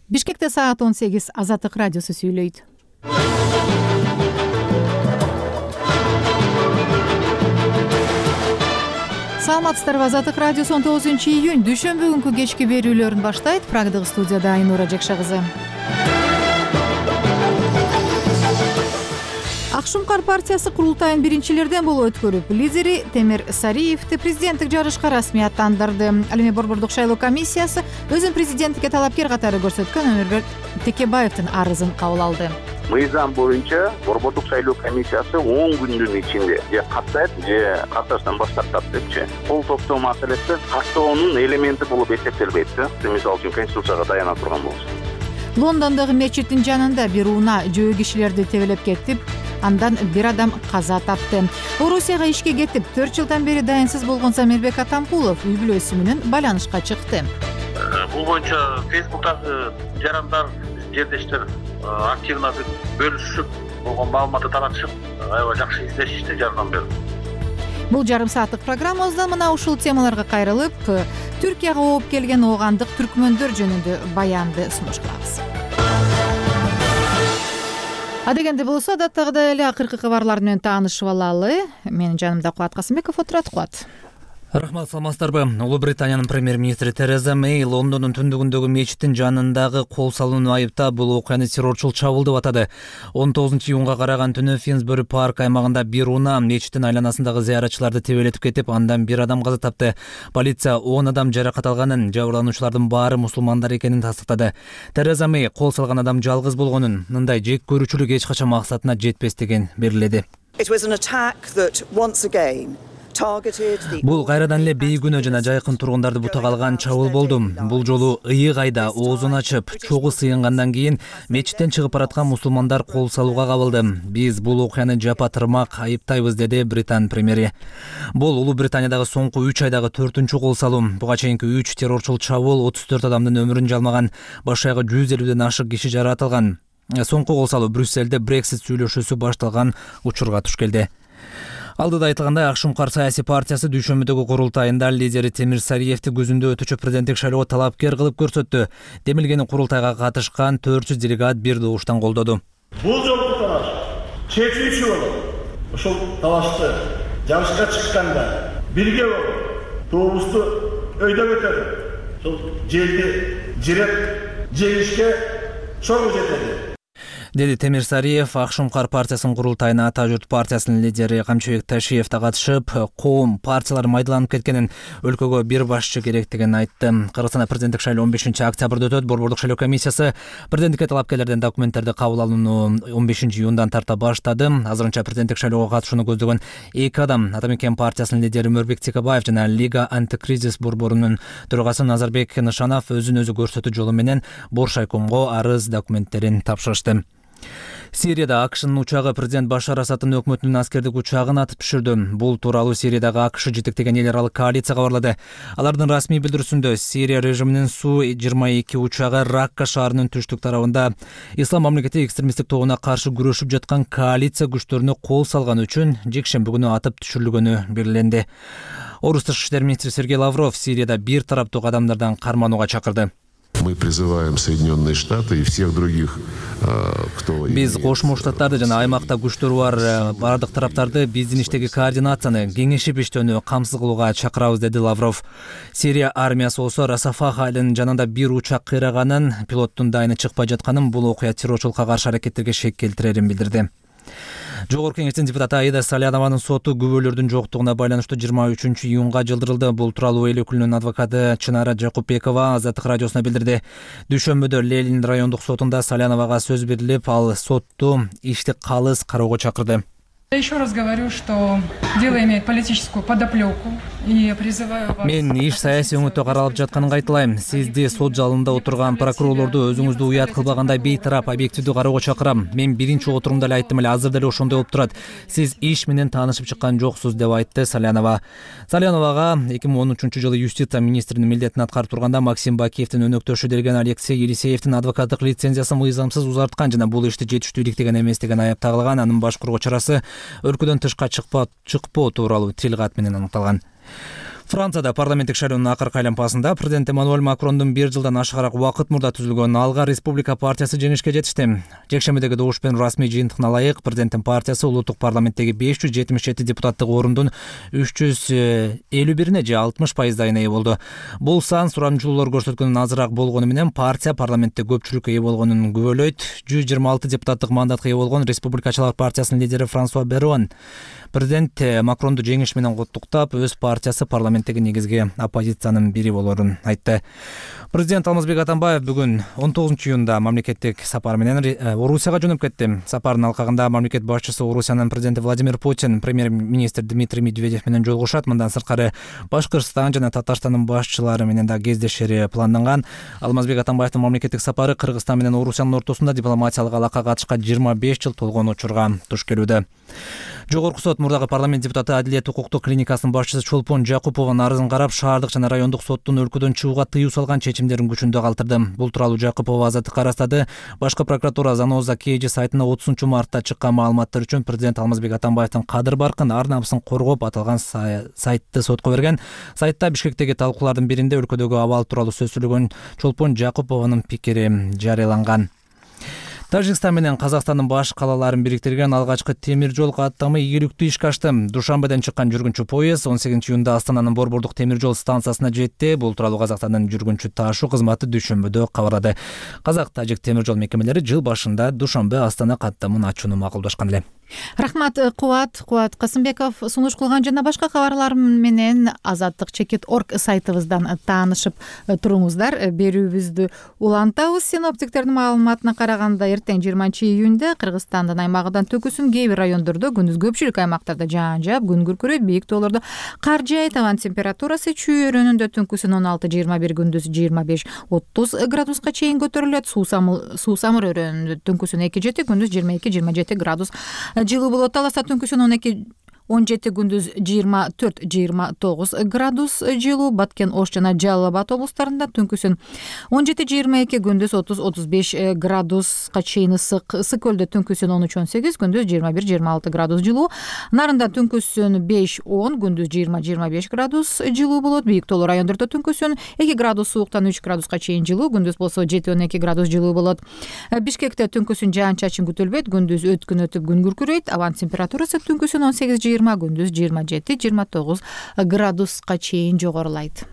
Бишкекте саат 18 Азаттык радиосу сүйлөйт. Саламатсыздарбы, Азаттык радиосу 19-июнь дүйшөмбү күнкү кечки берүүлөрүн баштайт. Прагдык студияда Айнура Жекша кызы. Ак Шумкар партиясы курултайын биринчилерден болуп өткөрүп, лидери Темир Сариевди президенттик жарышка расмий аттандырды. Ал эми Борбордук шайлоо комиссиясы өзүн президенттикке талапкер катары көрсөткөн Өмүрбек Текебаевдин арызын кабыл алды. Мыйзам боюнча Борбордук шайлоо комиссиясы 10 күндүн ичинде же каттайт, же катташтан баш тартат депчи. Кол топтоо маселеси каттоонун элементи болуп эсептелбейт. Мисалы үчүн Конституцияга даяна турган болсо. Лондондогу мечиттин жанында бир унаа жөө кишилерди тебелеп кетип, андан бир адам каза тапты. Орусияга ишке кетип, 4 жылдан бери дайынсыз болгон Замирбек Атамкулов үй бүлөсү менен байланышка чыкты. Бул боюнча Фейсбуктагы жарандар, жердештер активно бөлүшүп, болгон маалыматты таратышып, аябай жакшы издешишти жардан бери. Бул жарым сааттык программабызда мына ушул темаларга кайрылып, Түркияга ооп келген оогандык түркмөндөр жөнүндө баянды сунуш кылабыз. Адегенде болсо, адаттагыдай эле акыркы кабарлар менен таанышып алалы. Менин жанымда Кубат Касымбеков отурат. Кубат. Рахмат, саламатсыздарбы. Улуу Британиянын премьер-министри Тереза Мэй Лондондун түндүгүндөгү мечиттин жанындагы кол салууну айыптап, бул окуяны террорчул чабуул деп атады. 19-июнга караган түнү Финсбери парк аймагында бир унаа мечиттин айланасындагы зыяратчыларды тебелетип кетип, андан бир адам каза тапты. Полиция 10 адам жаракат алганын, жабырлануучулардын баары мусулмандар экенин тастыктады. Тереза Мэй кол салган адам жалгыз болгонун, мындай жек көрүүчүлүк эч качан максатына жетпестигин белгиледи. Бул кайрадан эле бейгүнөө жана жайкын тургундарды бутага алган чабуул болду. Бул жолу ыйык айда оозун ачып, чогуу сыйынгандан кийин мечиттен чыгып бараткан мусулмандар кол салууга кабылды. Биз бул окуяны жапа тырмак айыптайбыз, деди Британ премьери. Бул Улуу Британиядагы соңку 3 айдагы 4-чү кол салуу. Буга чейинки 3 террорчул чабуул 34 адамдын өмүрүн жалмаган, баш аягы 150ден ашык киши жаратылган. Соңку кол салуу Брюсселде Брексит сүйлөшүүсү башталган учурга туш келди. Алдыда айтылгандай, Ак Шумкар саясий партиясы дүйшөмбүдөгү курултайында лидери Темир Сариевди күзүндө өтүүчү президенттик шайлоого талапкер кылып көрсөттү. Демилгени курултайга катышкан 400 делегат бир добуштан колдоду. Бул жолку талаш чечүүчү болуп, ушул талашты жарышка чыкканда бирге болуп, тобусту өйдөп өтөлүп, ушул жерди жиреп жеңишке чоң жетели, деди Темир Сариев. Ак Шумкар партиясынын курултайына Ата журт партиясынын лидери Камчыбек Ташиев да катышып, коом партиялар майдаланып кеткенин, өлкөгө бир башчы керектигин айтты. Кыргызстанда президенттик шайлоо 15-октябрда өтөт. Борбордук шайлоо комиссиясы президенттикке талапкерлерден документтерди кабыл алууну 15-июндан тарта баштады. Азырынча президенттик шайлоого катышууну көздөгөн 2 адам, Атамекен партиясынын лидери Өмүрбек Текебаев жана Лига антикризис борборунун төрагасы Назарбек Нышанов өзүн өзү көрсөтүү жолу менен Боршайкомго арыз документтерин тапшырышты. Сирияда АКШнын учагы президент Башар Асадтын өкмөтүнүн аскердик учагын атып түшүрдү. Бул тууралуу Сириядагы АКШ жетектеген эл аралык коалиция кабарлады. Алардын расмий билдирүүсүндө Сирия режиминин Су-22 учагы Ракка шаарынын түштүк тарабында Ислам мамлекети экстремисттик тобуна каршы күрөшүп жаткан коалиция күчтөрүнө кол салган үчүн жекшемби күнү атып түшүрүлгөнү белгиленди. Орус тышкы иштер министри Сергей Лавров Сирияда бир тараптуу кадамдардан карманууга чакырды. Мы призываем Соединенные Штаты и всех других, кто... Биз Кошмо Штаттарды жана аймакта күчтөрү бар бардык тараптарды биздин иштеги координацияны, кеңешип иштөөнү камсыз кылууга чакырабыз, деди Лавров. Сирия армиясы болсо Расафах айылынын жанында бир учак кыйраганын, пилоттун дайыны чыкпай жатканын, бул окуя террорчулукка каршы аракеттерге шек келтирерин билдирди. Жогорку кеңештин депутаты Аида Салянованын соту күбөлөрдүн жоктугуна байланыштуу 23-июнга жылдырылды. Бул тууралуу эл өкүлүнүн адвокаты Чынара Жакупбекова Азаттык радиосуна билдирди. Дүйшөмбүдө Ленин райондук сотунда Саляновага сөз берилип, ал сотту ишти калыс кароого чакырды. Еще раз говорю, что дело имеет политическую подоплеку и призываю вас... Мен иш саясий өңөттө каралып жатканын кайталайм. Сизди сот залында отурган прокурорлорду өзүңүздү уят кылбагандай бейтарап, объективдүү кароого чакырам. Мен биринчи отурумда эле айттым эле, азыр деле ошондой болуп турат. Сиз иш менен таанышып чыккан жоксуз, деп айтты Салянова. Саляновага 2013-жылы юстиция министринин милдетин аткарып турганда Максим Бакиевдин өнөктөшү делген Алексей Елисеевдин адвокаттык лицензиясын мыйзамсыз узарткан жана бул ишти жетиштүү иликтеген эмес деген айып тагылган. Анын башкаруу чарасы өлкөдөн тышка чыкпоо тууралуу тил кат менен аныкталган. Францияда парламенттик шайлоонун акыркы айланпасында президент Эммануэль Макрондун 1 жылдан ашыгыраак убакыт мурда түзүлгөн Алга Республика партиясы жеңишке жетишти. Жекшембидеги добуш менен расмий жыйынтыгына ылайык президенттин партиясы улуттук парламенттеги 577 депутаттык ордун 351-ине же 60% ээ болду. Бул сан сурамжылоолор көрсөткөндөн азыраак болгону менен партия парламентте көпчүлүккө ээ болгонун күбөлөйт. 126 депутаттык мандатка ээ болгон Республикачылар партиясынын лидери Франсуа Берон президент Макронду жеңиш менен куттуктап, өз партиясы парламенттеги негизги оппозициянын бири болорун айтты. Президент Алмазбек Атамбаев бүгүн 19-июнда мамлекеттик сапар менен Орусияга жөнөп кетти. Сапардын алкагында мамлекет башчысы Орусиянын президенти Владимир Путин, премьер-министр Дмитрий Медведев менен жолугушат. Мындан сырткары Башкырстан жана Татарстандын башчылары менен да кездешери планданган. Алмазбек Атамбаевдин мамлекеттик сапары Кыргызстан менен Орусиянын ортосунда дипломатиялык алака катышка 25 жыл толгон учурга туш келүүдө. Жогорку сот мурдагы парламент депутаты Адилет укуктук клиникасынын башчысы Чолпон Жакупованын арызын карап, шаардык жана райондук соттун өлкөдөн чыгууга тыюу салган чечимдерин күчүндө калтырды. Бул тууралуу Жакупова азаттыкка арастады. Башкы прокуратура Заноза KG сайтына 30-мартта чыккан маалыматтар үчүн президент Алмазбек Атамбаевдин кадыр баркын, ар намысын коргоп аталган сайтты сотко берген. Сайтта Бишкектеги талкуулардын биринде өлкөдөгү абал тууралуу сөз сүйлөгөн Чолпон Жакупованын пикири жарыяланган. Тажикстан менен Казакстандын баш калаларын бириктирген алгачкы темир жол каттамы ийгиликтүү ишке ашты. Душанбеден чыккан жүргүнчү поезд 18-июнда Астананын Борбордук темир жол станциясына жетти. Бул тууралуу Казакстандын жүргүнчү ташуу кызматы дүйшөмбүдө кабарлады. Казак-тажик темир жол мекемелери жыл башында Душанбе-Астана каттамын ачууну макулдашкан эле. Рахмат Кубат Касымбеков сунуш кылган жана башка кабарлар менен Азаттык.org сайтыбыздан таанышып туруңуздар. Берүүбүздү улантабыз. Синоптиктердин маалыматына караганда эртең 20-июнда Кыргызстандын аймагынан төгүсүн кээ бир райондордо, күндүз көпчүлүк аймактарда жаан жаап, күн күркүрөйт, бийик тоолордо кар жаайт. Абан температурасы чүйөрөнүндө түнкүсүн 16-21, күндүз 25-30 градуска чейин көтөрүлөт. Суусамыр өрөөнүндө түнкүсүн 2-7, күндүз 22-27 градус жылуу болот. Таласта түнкүсүн 12-17, күндүз 24-29 градус жылуу. Баткен, Ош жана Жалал Абад облустарында түнкүсүн 17-22, күндүз 30-35 градуска чейин ысык. Ысык көлдө түнкүсүн 13-18, күндүз 21-26 градус жылуу. Нарында түнкүсүн 5-10, күндүз 20-25 градус жылуу болот. Бийик тоолуу райондордо түнкүсүн 2 градус сууктан 3 градуска чейин жылуу, күндүз болсо 7-12 градус жылуу болот. Бишкекте түнкүсүн жаан-чачын күтүлбөйт, күндүз өткүн өтүп күн күркүрөйт. Абан температурасы түнкүсүн 18-20, күндүз 27-29 градуска чейин жогорулайт.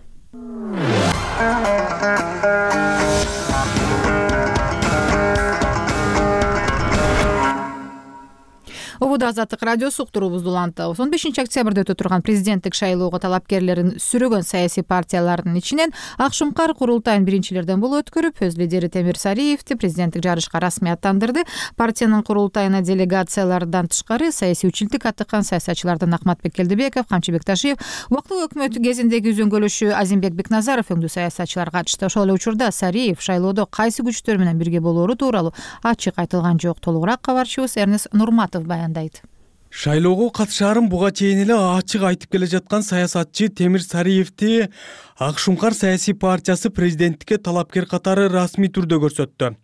Обуда Азаттык радиосу уктуруубузду улантабыз. 15-октябрда өтө турган президенттик шайлоого талапкерлерин сүрөгөн саясий партиялардын ичинен Акшумкар курултайын биринчилерден болуп өткөрүп, өз лидери Темир Сариевди президенттик жарышка расмий аттандырды. Партиянын курултайына делегациялардан тышкары саясий үчүлтүк аттыккан саясатчылардан Акматбек Келдебеков, Камчыбек Ташиев, убактылык өкмөт кезиндеги үзөңгөлөшү Азимбек Бекназаров өңдүү саясатчылар катышты. Ошол эле учурда Сариев шайлоодо кайсы күчтөр менен бирге болоору тууралуу ачык айтылган жок. Толугураак кабарчыбыз Эрнес Нурматов баяндайт. Шайлоого катышаарын буга чейин эле ачык айтып келе жаткан саясатчы Темир Сариевди Акшумкар саясий партиясы президенттикке талапкер катары расмий түрдө көрсөттү.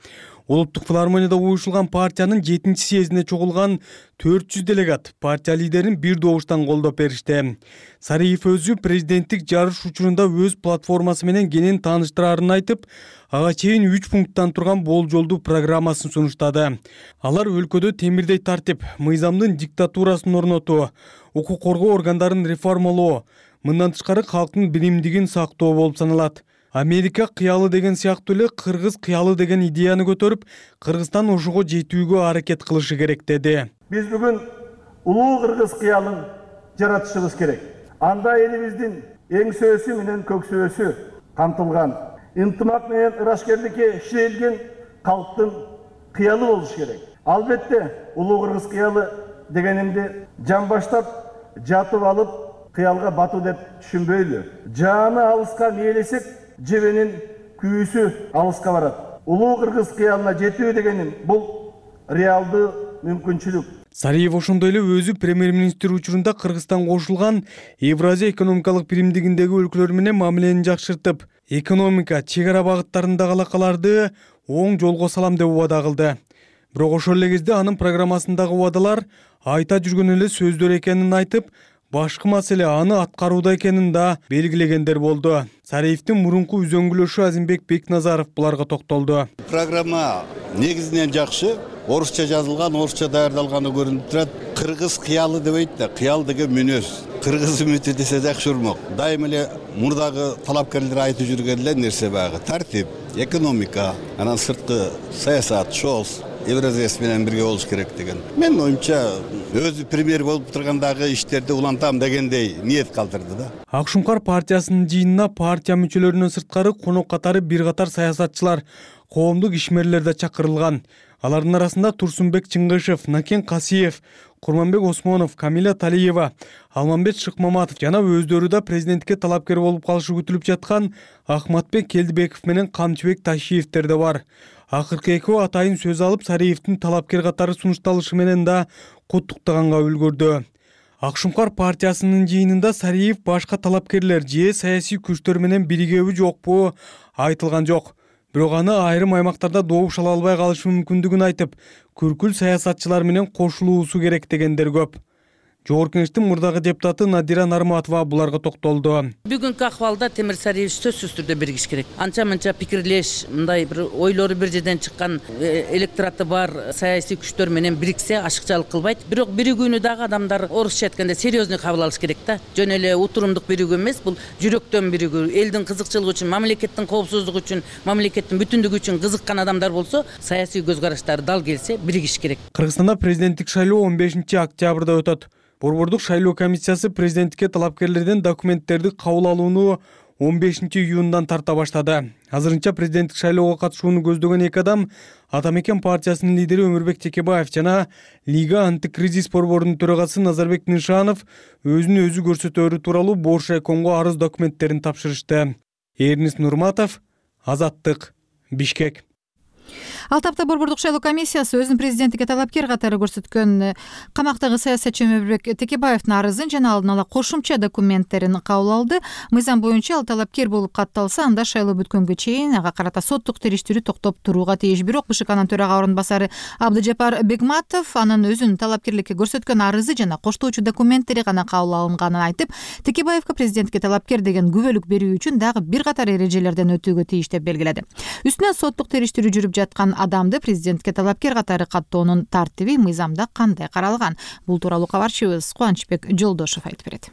Улуттук филармонияда уюшулган партиянын 7-съездине чогулган 400 делегат партия лидерин бир добуштан колдоп беришти. Сариев өзү президенттик жарыш учурунда өз платформасы менен кенен тааныштырарын айтып, ага чейин 3 пункттан турган болжолдуу программасын сунуштады. Алар өлкөдө темирдей тартип, мыйзамдын диктатурасын орнотуу, укук коргоо органдарын реформалоо, мындан тышкары калктын биримдигин сактоо болуп саналат. Америка кыялы деген сыяктуу эле кыргыз кыялы деген идеяны көтөрүп, Кыргызстан ошого жетүүгө аракет кылышы керек деди. Биз бүгүн улуу кыргыз кыялын жаратышыбыз керек. Анда элибиздин эң сөзү менен көксөөсү камтылган, ынтымак менен ырашкерликке ишелген калктын кыялы болуш керек. Албетте, улуу кыргыз кыялы дегенимди жан баштап жатып алып кыялга батуу деп түшүнбөйлү. Жааны алыска мээлесек, жебенин күйүүсү алыска барат. Улуу кыргыз кыялына жетүү дегеним бул реалдуу мүмкүнчүлүк. Сариев ошондой эле өзү премьер-министр учурунда Кыргызстан кошулган Евразия экономикалык биримдигиндеги өлкөлөр менен мамилени жакшыртып, экономика, чек ара багыттарындагы алакаларды оң жолго салам деп убада кылды. Бирок ошол эле кезде анын программасындагы убадалар айта жүргөн эле сөздөр экенин айтып, башкы маселе аны аткарууда экенин да белгилегендер болду. Сариевдин мурунку үзөңгүлөшү Азимбек Бекназаров буларга токтолду. Программа негизинен жакшы, орусча жазылган, орусча даярдалганы көрүнүп турат. Кыргыз кыялы дебейт да, кыял деген мүнөз. Кыргыз үмүтү десе жакшы урмок. Дайым эле мурдагы талапкерлер айтып жүргөн эле нерсе баягы тартип, экономика, анан сырткы саясат, ШОС, Евразес менен бирге болуш керек деген. Мен оюмча өзү премьер болуп тургандагы иштерди улантам дегендей ниет калтырды да. Акшумкар партиясынын жыйынына партия мүчөлөрүнөн сырткары конок катары бир катар саясатчылар, коомдук ишмерлер да чакырылган. Алардын арасында Турсунбек Чыңгышев, Накен Касиев, Курманбек Осмонов, Камиля Талиева, Алмамбет Шыкмаматов жана өздөрү да президентке талапкер болуп калышы күтүлүп жаткан Ахматбек Келдибеков менен Камчыбек Ташиевдер да бар. Акыркы экөө атайын сөз алып, Сариевдин талапкер катары сунушталышы менен да куттуктаганга үлгүрдү. Акшумкар партиясынын жыйынында Сариев башка талапкерлер же саясий күчтөр менен биригеби жокпу айтылган жок. Бирок аны айрым аймактарда добуш ала албай калышы мүмкүндүгүн айтып, күркүл саясатчылар менен кошулуусу керек дегендер көп. Жогорку Кеңештин мурдагы депутаты Надира Нарматова буларга токтолду. Бүгүнкү акыбалда Темир Сариев сөзсүз түрдө биригиш керек. Анча-мынча пикирлеш, мындай бир ойлору бир жерден чыккан электораты бар саясий күчтөр менен бириксе ашыкчалык кылбайт. Бирок биригүүнү дагы адамдар орусча айтканда серьезный кабыл алыш керек да. Жөн эле утурумдук биригүү эмес, бул жүрөктөн биригүү, элдин кызыкчылыгы үчүн, мамлекеттин коопсуздугу үчүн, мамлекеттин бүтүндүгү үчүн кызыккан адамдар болсо, саясий көз караштары дал келсе биригиш керек. Кыргызстанда президенттик шайлоо 15-октябрда өтөт. Борбордук шайлоо комиссиясы президентке талапкерлерден документтерди кабыл алууну 15-июндан тарта баштады. Азырынча президенттик шайлоого катышууну көздөгөн эки адам Атамекен партиясынын лидери Өмүрбек Текебаев жана Лига антикризис борборунун төрагасы Назарбек Нишанов өзүн өзү көрсөтөөрү тууралуу Боршайкомго арыз документтерин тапшырышты. Эрнис Нурматов, Азаттык, Бишкек. Ал тапта Борбордук шайлоо комиссиясы өзүнүн президенттикке талапкер катары көрсөткөн камактагы саясатчы Өмүрбек Текебаевдин арызын жана алдын ала кошумча документтерин кабыл алды. Мыйзам боюнча ал талапкер болуп катталса, анда шайлоо бүткөнгө чейин ага карата соттук териштирүү токтоп турууга тийиш. Бирок БШКнын төрага орун басары Абдыжапар Бегматов анын өзүнүн талапкерликке көрсөткөн арызы жана коштоочу документтери гана кабыл алынганын айтып, Текебаевге президентке талапкер деген күбөлүк берүү үчүн дагы бир катар эрежелерден өтүүгө тийиш деп белгиледи. Үстүнөн соттук териштирүү жүрүп жаткан адамды президентке талапкер катары каттоонун тартиби мыйзамда кандай каралган? Бул тууралуу кабарчыбыз Кубанычбек Жолдошов айтып берет.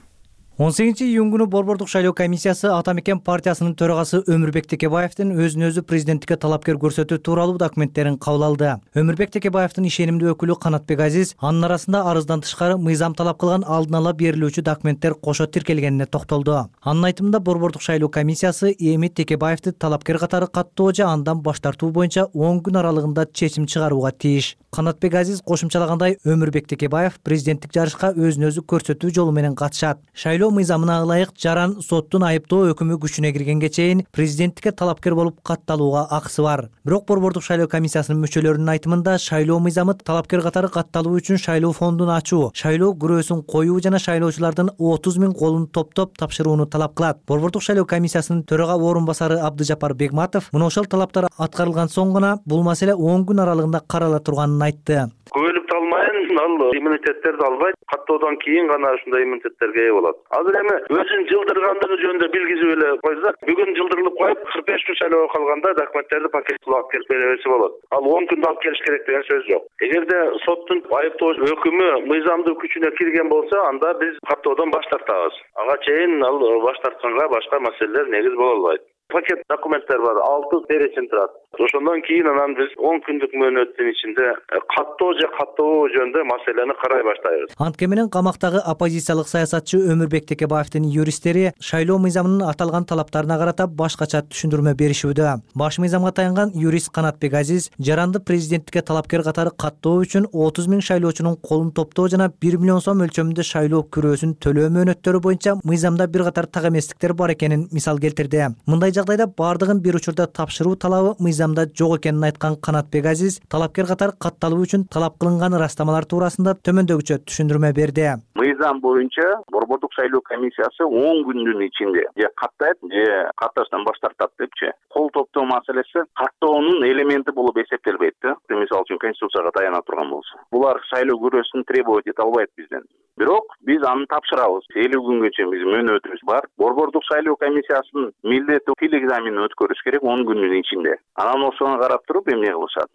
18-июнь күнү Борбордук шайлоо комиссиясы Атамекен партиясынын төрагасы Өмүрбек Текебаевдин өзүн өзү президенттикке талапкер көрсөтүү тууралуу документтерин кабыл алды. Өмүрбек Текебаевдин ишенимдүү өкүлү Канатбек Азиз анын арасында арыздан тышкары мыйзам талап кылган алдын ала берилүүчү документтер кошо тиркелгенине токтолду. Анын айтымында Борбордук шайлоо комиссиясы эми Текебаевди талапкер катары каттоо же андан баш тартуу боюнча 10 күн аралыгында чечим чыгарууга тийиш. Канатбек Азиз кошумчалагандай, Өмүрбек Текебаев президенттик жарышка өзүн өзү көрсөтүү жолу менен катышат. Шайлоо мыйзамына ылайык жаран соттун айыптоо өкүмү күчүнө киргенге чейин президенттикке талапкер болуп катталууга акысы бар. Бирок Борбордук шайлоо комиссиясынын мүчөлөрүнүн айтымында шайлоо мыйзамы талапкер катары катталуу үчүн шайлоо фондун ачуу, шайлоо күрөөсүн коюу жана шайлоочулардын 30 000 колун топтоп тапшырууну талап кылат. Борбордук шайлоо комиссиясынын төрага орун басары Абдыжапар Бегматов мына ошол талаптар аткарылган соң гана бул маселе 10 күн аралыгында карала турганын айтты. Көбөлүк алмайын, ал иммунитеттерди албайт. Каттоодон кийин гана ушундай иммунитеттерге ээ болот. Азыр эми өзүн жылдыргандыгы жөнүндө билгизип эле койсак, бүгүн жылдырылып коюп, 45 күн шайлоого калганда документтерди пакеттеп алып келип беребесе болот. Ал 10 күндө алып келиш керек деген сөз жок. Эгерде соттун айыптоо өкүмү мыйзамдуу күчүнө кирген болсо, анда биз каттоодон баш тартабыз. Ага чейин ал баш тартканга башка маселелер негиз боло албайт. Пакет документтер бар, 6 бересин турат. Ошондон кийин анан биз 10 күндүк мөөнөттүн ичинде каттоо же каттообоо жөнүндө маселени карай баштайбыз. Антке менен камактагы оппозициялык саясатчы Өмүрбек Текебаевдин юристтери шайлоо мыйзамынын аталган талаптарына карата башкача түшүндүрмө беришүүдө. Баш мыйзамга таянган юрист Канатбек Азиз жаранды президенттикке талапкер катары каттоо үчүн 30 000 шайлоочунун колун топтоо жана 1 миллион сом өлчөмүндө шайлоо күрөөсүн төлөө мөөнөттөрү боюнча мыйзамда бир катар так эместиктер бар экенин мисал келтирди. Мындай жагдайда бардыгын бир учурда тапшыруу талабы мыйзамда жок экенин айткан Канатбек Азиз талапкер катары катталуу үчүн талап кылынган ырастамалар туурасында төмөндөгүчө түшүндүрмө берди. Мыйзам боюнча Борбордук шайлоо комиссиясы 10 күндүн ичинде же каттайт же катташтан баш тартат депчи. Кол топтоо маселеси каттоонун элементи болуп эсептелбейт да. Мисалы үчүн Конституцияга таяна турган болсо. Булар шайлоо күрөөсүн требовать эте албайт бизден. Бирок биз аны тапшырабыз. 50 күнгө чейин биздин мөөнөтүбүз бар. Борбордук шайлоо комиссиясынын милдети тил экзаменин өткөрүш керек 10 күндүн ичинде. Анан ошону карап туруп эмне кылышат?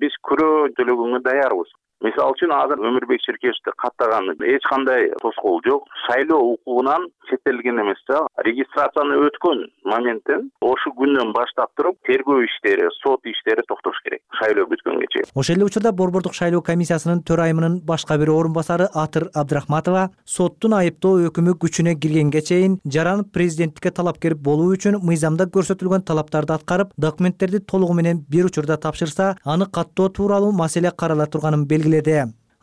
Биз күрөө төлөгөнгө даярбыз. Мисалы үчүн азыр Өмүрбек Ширкешевди каттаган эч кандай тоскоол жок. Шайлоо укугунан четтетилген эмес да. Регистрацияны өткөн моменттен ошол күндөн баштап туруп тергөө иштери, сот иштери токтош керек. Шайлоо бүткөнгө чейин. Ошол эле учурда Борбордук шайлоо комиссиясынын төрайымынын башка бир орун басары Атыр Абдрахматова соттун айыптоо өкүмү күчүнө киргенге чейин Жаран президенттикке талапкер болуу үчүн мыйзамда көрсөтүлгөн талаптарды аткарып, документтерди толугу менен бир учурда тапшырса, аны каттоо тууралуу маселе карала турганын белгиледи.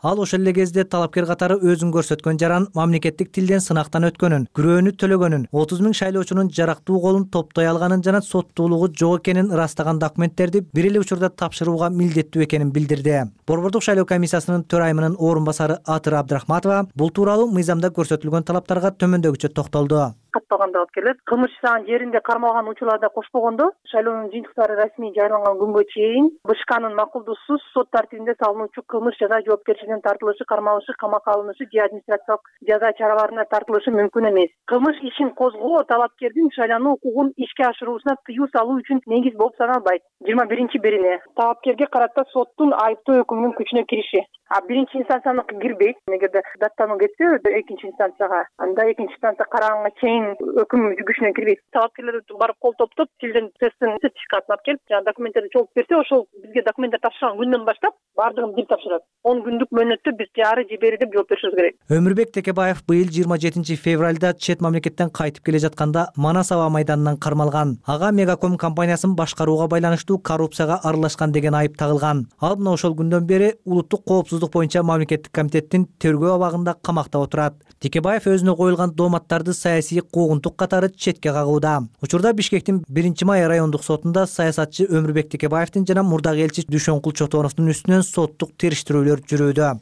Ал ошол эле кезде талапкер катары өзүн көрсөткөн Жаран мамлекеттик тилден сынактан өткөнүн, күрөөнү төлөгөнүн, 30 000 шайлоочунун жарактуу колун топтой алганын жана соттуулугу жок экенин ырастаган документтерди бир эле учурда тапшырууга милдеттүү экенин билдирди. Борбордук шайлоо комиссиясынын төрайымынын орун басары Атыр Абдрахматова бул тууралуу мыйзамда көрсөтүлгөн талаптарга төмөндөгүчө токтолду. Катталганда алып келет. Кылмыш ишанын жеринде кармалган учурларда кошпогондо шайлоонун жыйынтыктары расмий жарыяланган күнгө чейин БШКнын макулдуусуз сот тартибинде салынуучу кылмыш жаза жоопкерчилигине тартылышы, кармалышы, камакка алынышы же администрациялык жаза чараларына тартылышы мүмкүн эмес. Кылмыш ишин козгоо талапкердин шайлануу укугун ишке ашыруусуна тыюу салуу үчүн негиз болуп саналбайт. 21-бирине талапкерге карата соттун айыптоо өкүмүнүн күчүнө кириши. Биринчи инстанцияныкы кирбейт. Эгерде даттануу кетсе экинчи инстанцияга, анда экинчи инстанция караганга чейин өкүм күчүнө кирбейт. Талапкерлер барып кол топтоп, тилден тесттин сертификатын алып келип, жана документтерди чогултуп берсе, ошол бизге документтер тапшырган күндөн баштап бардыгын бир тапшырат. 10 күндүк мөөнөттө биз ары же бери деп жооп беришибиз керек. Өмүрбек Текебаев быйыл 27 февралда чет мамлекеттен кайтып келе жатканда Манас аба майданынан кармалган. Ага Мегаком компаниясын башкарууга байланыштуу коррупцияга аралашкан деген айып тагылган. Ал мына ошол күндөн бери улуттук коопсуздук боюнча мамлекеттик комитеттин тергөө абагында камакта отурат. Текебаев өзүнө коюлган дооматтарды саясий куугунтук катары четке кагууда. Учурда Бишкектин 1-май райондук сотунда саясатчы Өмүрбек Текебаевдин жана мурдагы элчи Дүшөнкул Чотоновдун үстүнөн соттук териштирүүлөр жүрүүдө.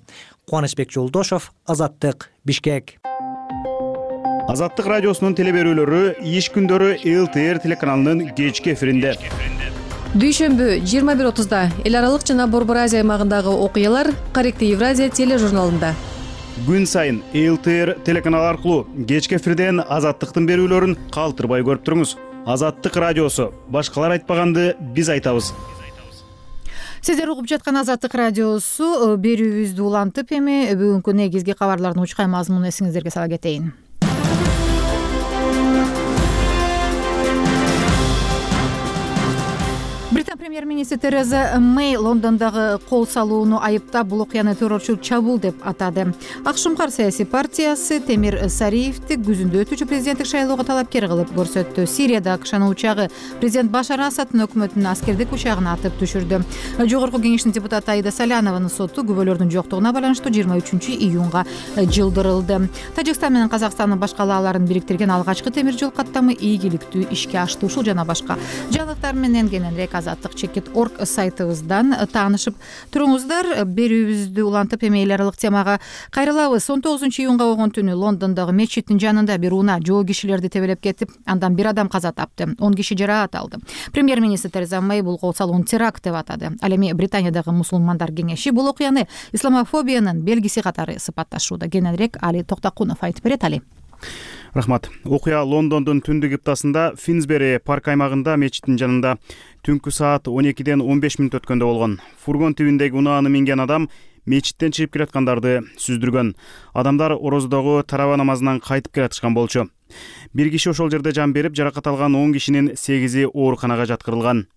Кубанычбек Жолдошов, Азаттык, Бишкек. Азаттык радиосунун телеберүүлөрү иш күндөрү ЛТР телеканалынын кечки эфиринде. Дүйшөмбү 21:30 эл аралык жана Борбор Азия аймагындагы окуялар Корректив Евразия тележурналында. Күн сайын ЛТР телеканалы аркылуу кечки эфирден Азаттыктын берүүлөрүн калтырбай көрүп туруңуз. Азаттык радиосу. Башкалар айтпаганды биз айтабыз. Сиздер угуп жаткан Азаттык радиосу берүүбүздү улантып эми бүгүнкү негизги кабарлардын учкай мазмунун эсиңиздерге сала кетейин. Британ премьер-министри Тереза Мэй Лондондогу кол салууну айыптап, бул окуяны террорчулук чабуул деп атады. Акшумкар саясий партиясы Темир Сариевди күзүндө өтүүчү президенттик шайлоого талапкер кылып көрсөттү. Сирияда АКШнын учагы президент Башар Асадтын өкмөтүнүн аскердик учагын атып түшүрдү. Жогорку кеңештин депутаты Аида Салянованын соту күбөлөрдүн жоктугуна байланыштуу 23-июнга жылдырылды. Тажикстан менен Казакстандын башкалааларын бириктирген алгачкы темир жол каттамы ийгиликтүү ишке ашты. Ушул жана башка жаңылыктар менен кененирээк Азаттык.org сайтыбыздан таанышып туруңуздар. Берүүбүздү улантып эми эл аралык темага кайрылабыз. 19-июнга болгон түнү Лондондогу мечиттин жанында бир унаа жоо кишилерди тебелеп кетип, андан бир адам каза тапты, 10 киши жараат алды. Премьер-министр Тереза Мэй бул кол салууну теракт деп атады. Ал эми Британиядагы мусулмандар кеңеши бул окуяны исламофобиянын белгиси катары сыпатташууда. Кененирээк Али Токтакунов айтып берет. Али. Рахмат. Окуя Лондондун түндүк ыптасында Финсбери парк аймагында мечиттин жанында түнкү саат 12-ден 15 мүнөт өткөндө болгон. Фургон тибиндеги унааны минген адам мечиттен чыгып келаткандарды сүздүргөн. Адамдар ороздогу тараба намазынан кайтып келатышкан болчу. Бир киши ошол жерде жан берип, жаракат алган 10 кишинин 8-и ооруканага жаткырылган.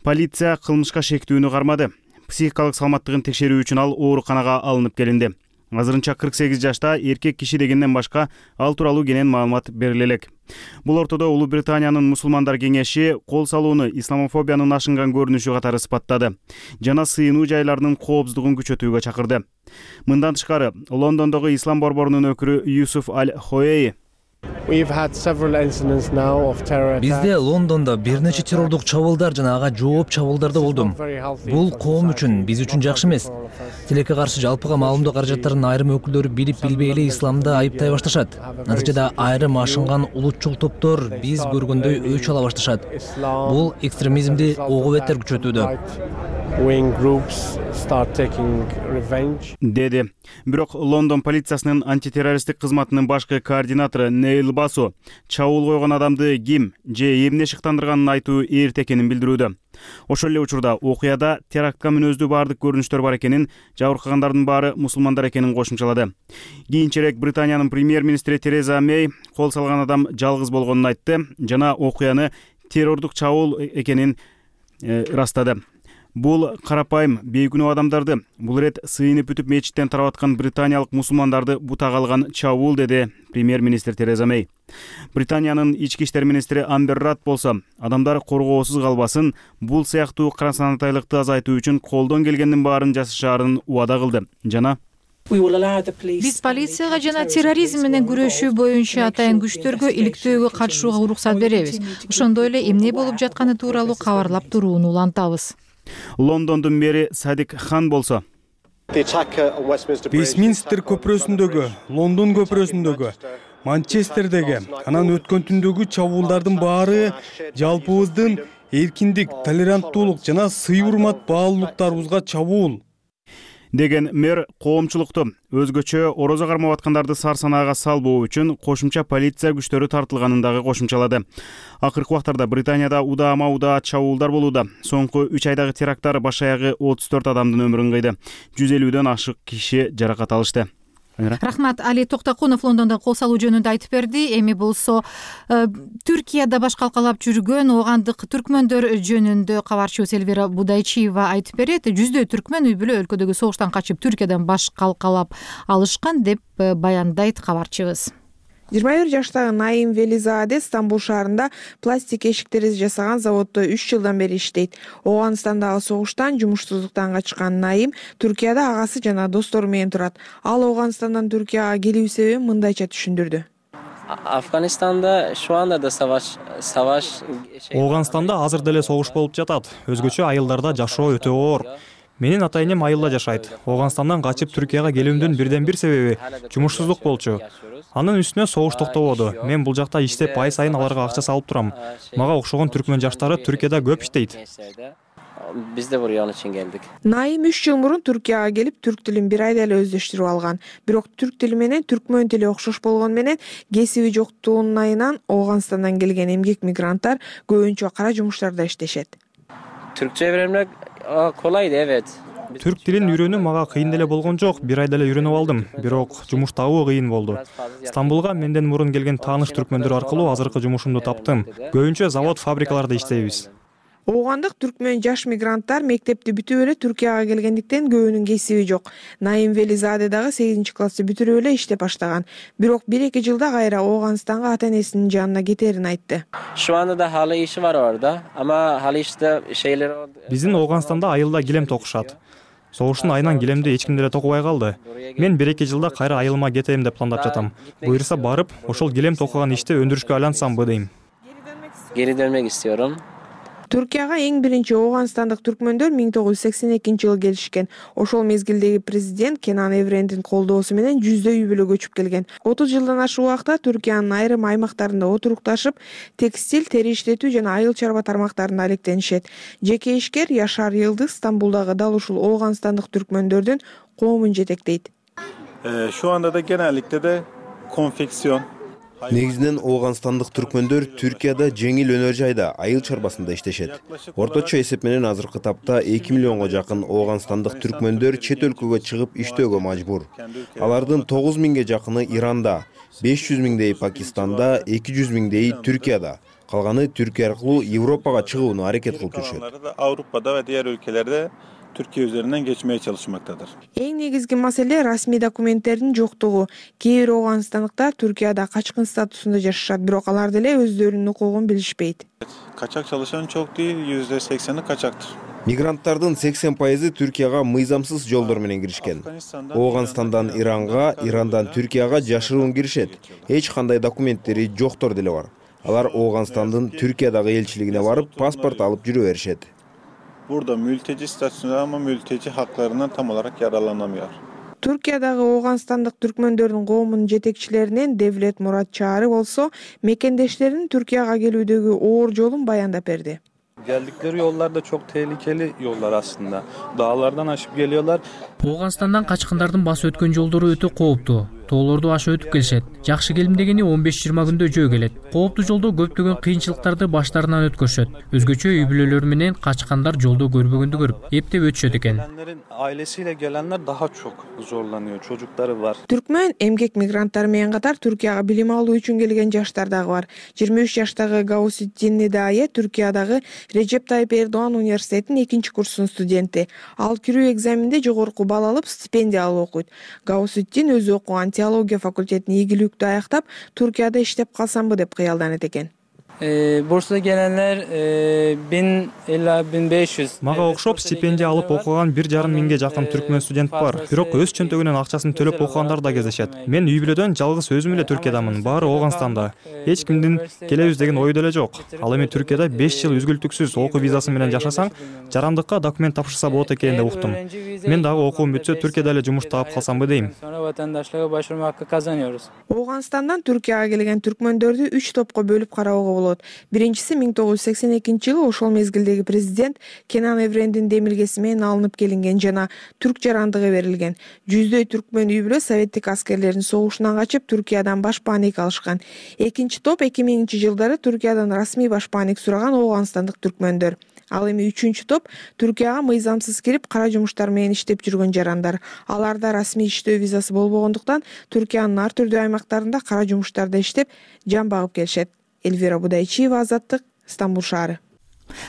Полиция кылмышка шектүүнү кармады. Психикалык саламаттыгын текшерүү үчүн ал ооруканага алынып келинди. Азырынча 48 жашта эркек киши дегенден башка ал тууралуу кенен маалымат бериле элек. Бул ортодо Улуу Британиянын мусулмандар кеңеши кол салууну исламофобиянын ашынган көрүнүшү катары сыпаттады жана сыйынуу жайларынын коопсуздугун күчөтүүгө чакырды. Мындан тышкары Лондондогу ислам борборунун өкүлү Юсуф Аль-Хоей Бизде Лондондо бир нече террордук чабуулдар жана ага жооп чабуулдар болду. Бул коом үчүн, биз үчүн жакшы эмес. Тилекке каршы жалпыга маалымдоо каражаттарын айрым өкүлдөрү билип-билбей эле исламда айыптай башташат. Натыйжада айрым ашынган улутчул топтор биз көргөндөй өч ала башташат. Бул экстремизмди ого бетер күчөтүүдө. деди. Бирок Лондон полициясынын антитеррористтик кызматынын башкы координатору Нейл Басу чабуул койгон адамды ким же эмне шыктандырганын айтуу эрте экенин билдирүүдө. Ошол эле учурда окуяда терактка мүнөздүү баардык көрүнүштөр бар экенин, жабыркагандардын баары мусулмандар экенин кошумчалады. Кийинчерээк Британиянын премьер-министри Тереза Мэй кол салган адам жалгыз болгонун айтты жана окуяны террордук чабуул экенин ырастады. Бул карапайым бейкүнөө адамдарды, бул ирет сыйынып бүтүп мечиттен тарап аткан британиялык мусулмандарды бутага алган чабуул, деди премьер-министр Тереза Мэй. Британиянын ички иштер министри Амбер Рад болсо, адамдар коргоосуз калбасын, бул сыяктуу карасанатайлыкты азайтуу үчүн колдон келгендин баарын жасашаарын убада кылды жана биз полицияга жана терроризм менен күрөшүү боюнча атайын күчтөргө иликтөөгө катышууга уруксат беребиз. Ошондой эле эмне болуп жатканы тууралуу кабарлап турууну улантабыз. Лондондун мэри Садик Хан болсо, Вестминстер көпүрөсүндөгү, Лондон көпүрөсүндөгү, Манчестердеги, анан өткөн түндөгү чабуулдардын баары жалпыбыздын эркиндик, толеранттуулук жана сый-урмат баалуулуктарыбызга чабуул деген мэр коомчулукту өзгөчө орозо кармап аткандарды сар санаага салбоо үчүн кошумча полиция күчтөрү тартылганын дагы кошумчалады. Акыркы убактарда Британияда удаа чабуулдар болууда. Соңку 3 айдагы теракттар баш аягы 34 адамдын өмүрүн кыйды. 150дөн ашык киши жаракат алышты. Рахмат. Али Токтакунов Лондондон кол салуу жөнүндө айтып берди. Эми болсо Түркияда баш калкалап жүргөн оогандык түркмөндөр жөнүндө кабарчыбыз Элвира Будайчиева айтып берет. Жүздөй түркмөн үй бүлө өлкөдөгү согуштан качып Түркиядан баш калкалап алышкан деп баяндайт кабарчыбыз. 21 жаштагы Наим Велизаде Стамбул шаарында пластик эшик терезе жасаган заводдо 3 жылдан бери иштейт. Оогандагы согуштан жумуштуулуктан качкан Наим Түркияда агасы жана достору менен турат. Ал Оогандстандан Түркияга келүү себебин мындайча түшүндүрдү. Афганистанда şu anda da savaş Оогандстанда азыр деле согуш болуп жатат. Өзгөчө айылдарда жашоо өтө оор. Менин ата-энем айылда жашайт. Оогандстандан качып Түркияга келүүмдүн бирден бир себеби жумушсуздук болчу. Анын үстүнө согуш токтободу. Мен бул жакта иштеп ай сайын аларга акча салып турам. Мага окшогон түркмөн жаштары Түркияда көп иштейт. Biz de buraya onun için geldik. Naim 3 жыл мурун Түркияга келип, түрк тилин бир айда эле өздөштүрүп алган. Бирок түрк тили менен түркмөн тили окшош болгон менен кесиби жоктугунан Оогандстандан келген эмгек мигранттар көбүнчө кара жумуштарда иштешет. Türkçe öğrenmek kolaydı, evet. Түрк тилин үйрөнүү мага кыйын деле болгон жок, бир айда эле үйрөнүп алдым. Бирок жумуш табуу кыйын болду. Стамбулга менден мурун келген тааныш түркмөндөр аркылуу азыркы жумушумду таптым. Көбүнчө завод, фабрикаларда иштейбиз. Оогандык түркмөн жаш мигранттар мектепти бүтүп эле Түркияга келгендиктен көбүнүн кесиби жок. Наим Велизаде дагы 8-классты бүтүрүп эле иштеп баштаган. Бирок 1-2 жылда кайра Оогандстанга ата-энесинин жанына кетерин айтты. Şu anda da halı işi var orada ama halı işte şeyler Биздин Оогандстанда айылда килем токушат. Согуштун айынан килемди эч ким деле токубай калды. Мен 1-2 жылда кайра айылыма кетем деп пландап жатам. Буйрса барып, ошол килем токуган ишти өндүрүшкө айлансамбы дейм. Geri dönmek istiyorum. Түркияга эң биринчи оогандстандык түркмөндөр 1982-жылы келишкен. Ошол мезгилдеги президент Кенан Эврендин колдоосу менен жүздөй үй бүлө көчүп келген. 30 жылдан ашык убакта Түркиянын айрым аймактарында отурукташып, текстиль, тери иштетүү жана айыл чарба тармактарында алектенишет. Жеке ишкер Яшар Йылдыз Стамбулдагы дал ушул оогандстандык түркмөндөрдүн коомун жетектейт. Şu anda da genellikle de konfeksiyon. Негизинен оогандстандык түркмөндөр Түркияда жеңил өнөр жайда, айыл чарбасында иштешет. Орточо эсеп менен азыркы тапта 2 миллионго жакын оогандстандык түркмөндөр чет өлкөгө чыгып иштөөгө мажбур. Алардын 9 миңге жакыны Иранда, 500 миңдей Пакистанда, 200 миңдей Түркияда. Калганы Түркия аркылуу Европага чыгууну аракет кылып жүрүшөт. Avrupa'da ve diğer ülkelerde Türkiye üzerinden geçmeye çalışmaktadır. Эң негизги маселе расмий документтердин жоктугу. Кээ бир оогандстандыктар Түркияда качкын статусунда жашашат, бирок алар деле өздөрүнүн укугун билишпейт. Kaçak çalışan çok değil, %80'i kaçaktır. Мигранттардын 80% Түркияга мыйзамсыз жолдор менен киришкен. Оогандстандан Иранга, Ирандан Түркияга жашыруун киришет. Эч кандай документтери жоктор деле бар. Алар Оогандстандын Түркиядагы элчилигине барып, паспорт алып жүрө беришет. Burada mülteci statüsünde ama mülteci haklarından tam olarak yararlanamıyor. Түркиядагы оогандстандык түркмөндөрдүн коомунун жетекчилеринен Девлет Мурат Чаары болсо, мекендештеринин Түркияга келүүдөгү оор жолун баяндап берди. Geldikleri yollar da çok tehlikeli yollar aslında. Dağlardan aşıp geliyorlar. Ооганстандан качкындардын басып өткөн жолдору өтө кооптуу. Тоолорду ашып өтүп келишет. Жакшы келим дегени 15-20 күндө жөө келет. Кооптуу жолдо көптөгөн кыйынчылыктарды баштарынан өткөрүшөт. Өзгөчө үй бүлөлөр менен качкандар жолдо көрбөгөндү көрүп, эптеп өтүшөт экен. Gelenlerin ailesiyle gelenler daha çok zorlanıyor. Çocukları var. Түркмөн эмгек мигранттары менен катар Түркияга билим алуу үчүн келген жаштар дагы бар. 23 жаштагы Гауситдин Недае Түркиядагы Режеп Тайып Эрдоğan университетинин 2-курсунун студенти. Ал кирүү экзаменде жогорку балл алып, стипендия алып окуйт. Гауситдин өзү окуган теология факультетин ийгиликтүү аяктап, Түркияда иштеп калсамбы деп кыялданат экен. Bursa'da gelenler 1000 ila 1500. Мага окшоп стипендия алып окуган 1,5 миңге жакын түркмөн студент бар. Бирок өз чөнтөгүнөн акчасын төлөп окугандар да кездешет. Мен үй бүлөдөн жалгыз өзүм эле Түркиядамын, баары Ооганстанда. Эч кимдин келебиз деген ой деле жок. Ал эми Түркияда 5 жыл үзгүлтүксүз окуу визасы менен жашасаң, жарандыкка документ тапшырса болот экен деп уктум. Мен дагы окуум бүтсө Түркияда эле жумуш таап калсамбы дейм. Sonra vatandaşlığa başvurma hakkı kazanıyoruz. Ооганстандан Түркияга келген түркмөндөрдү 3 топко бөлүп кароого болот. Биринчиси 1982-жылы ошол мезгилдеги президент Кенан Еврендин демилгеси менен алынып келинген жана түрк жарандыгы берилген. Жүздөй түркмөн үй бүлө советтик аскерлердин согушунан качып Түркиядан башпаанек алышкан. Экинчи топ 2000-жылдары Түркиядан расмий башпаанек сураган ооганстандык түркмөндөр. Ал эми үчүнчү топ Түркияга мыйзамсыз кирип кара жумуштар менен иштеп жүргөн жарандар. Аларда расмий иштөө визасы болбогондуктан Түркиянын ар түрдүү аймактарында кара жумуштарда иштеп жан багып келишет. Эльвира Будайчиева, Азаттык, Стамбул шаары.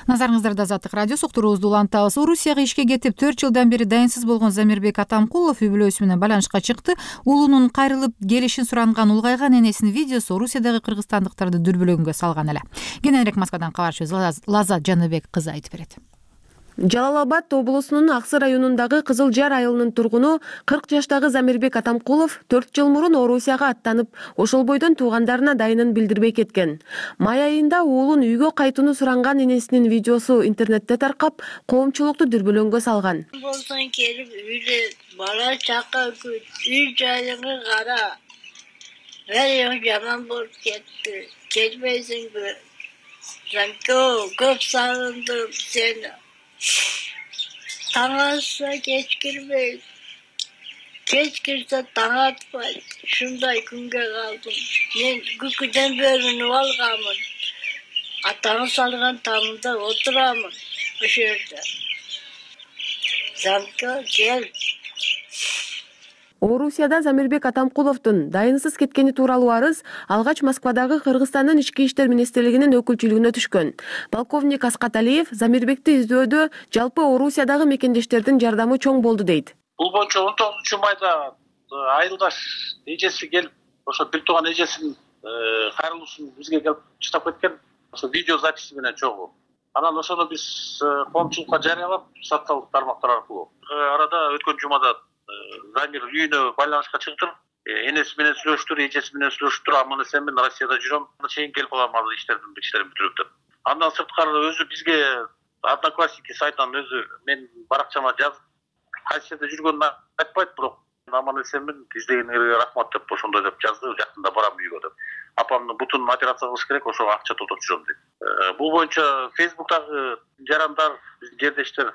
Назарыңыздарда Азаттык радиосу уктуруубузду улантабыз. Орусияга ишке кетип 4 жылдан бери дайынсыз болгон Замирбек Атамкулов үй бүлөсү менен байланышка чыкты. Уулунун кайрылып келишин суранган улгайган энесинин видеосу Орусиядагы кыргызстандыктарды дүрбөлөгөнгө салган эле. Кененирээк Москвадан кабарчыбыз Лазат Жаныбек кызы айтып берет. Жалал-Абад облусунун Аксы районундагы Кызыл Жар айылынын тургуну 40 жаштагы Замирбек Атамкулов 4 жыл мурун Орусияга аттанып, ошол бойдон туугандарына дайынын билдирбей кеткен. Май айында уулун үйгө кайтууну суранган энесинин видеосу интернетте таркап, коомчулукту дүрбөлөнгө салган. Болсоң келип үйдө бала чака күт, үй жайыңы кара. Бери жаман болуп кетти. Келбейсиңби? Көп сагындым сени. Таң атса кеч кирбейт. Кеч кирсе таң атпайт. Шундай күнгө калдым. Мен күкүдөн бөлүнүп алганмын. Атаңы салган таңында отурамын ошол жерде. Замка кел. Орусияда Замирбек Атамкуловдун дайынсыз кеткени тууралуу арыз алгач Москвадагы Кыргызстандын ички иштер министрлигинин өкүлчүлүгүнө түшкөн. Полковник Аскат Алиев Замирбекти издөөдө жалпы Орусиядагы мекендештердин жардамы чоң болду дейт. Бул боюнча 19-майда айылдаш эжеси келип, ошо бир тууган эжесинин кайрылуусун бизге келип чыдап кеткен. Ошо видео записи менен чогуу. Анан ошону биз коомчулукка жарыялап, социалдык тармактар аркылуу. Арада өткөн жумада Замир үйүнө байланышка чыктым. Энеси менен сүйлөштүр, эжеси менен сүйлөштүр. Аман эсен мен Россияда жүрөм. Чейин келип калам ал иштердин бүтүрүп деп. Андан сырткары өзү бизге Одноклассники сайтынан өзү мен баракчама жазып, кайсы жерде жүргөнүн айтпайт, бирок аман эсен мен издегениңерге рахмат деп ошондой деп жазды. Жакында барам үйгө деп. Апамдын бутун операция кылыш керек, ошого акча тотоп жүрөм дейт. Бул боюнча Фейсбуктагы жарандар, биздин жердештер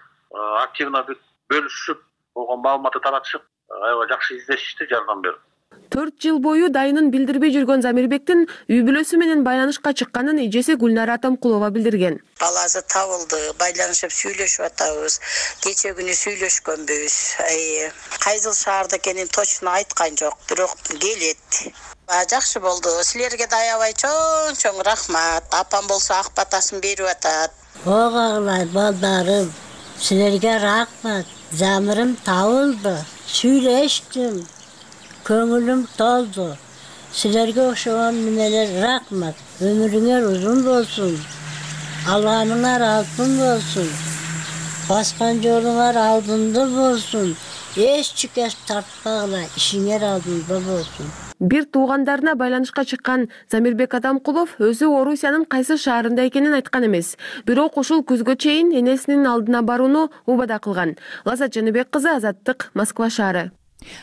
активно бөлүшүп, болгон маалыматты таратышып, аябай жакшы издешишти, жардам берип. 4 жыл бою дайынын билдирбей жүргөн Замирбектин үй бүлөсү менен байланышка чыкканын эжеси Гүлнара Атамкулова билдирген. Баласы табылды, байланышып сүйлөшүп атабыз. Кече күнү сүйлөшкөнбүз. Кайсыл шаарда экенин точно айткан жок, бирок келет. Жакшы болду. Силерге да аябай чоң рахмат. Апам болсо ак батасын берип атат. Огагылар, балдарым, силерге рахмат. Замирим табылды, сүйлөштүм, көңүлүм толду. Силерге ошогон менен рахмат. Өмүрүңөр узун болсун, алганыңар алтын болсун, баскан жолуңар алдында болсун. Эч чүкөс тартпагыла, ишиңер алдында болсун. Бир туугандарына байланышка чыккан Замирбек Атамкулов өзү Орусиянын кайсы шаарында экенин айткан эмес. Бирок ушул күзгө чейин энесинин алдына барууну убада кылган. Лазат Жаныбек кызы, Азаттык, Москва шаары.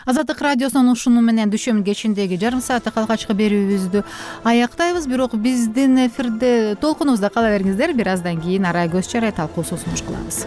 Азаттык радиосунун ушуну менен дүйшөмбү кечиндеги жарым сааттык алгачкы берүүбүздү аяктайбыз. Бирок биздин эфирде толкунубузда кала бериңиздер. Бир аздан кийин арай көз чарай талкуусу сунуш кылабыз.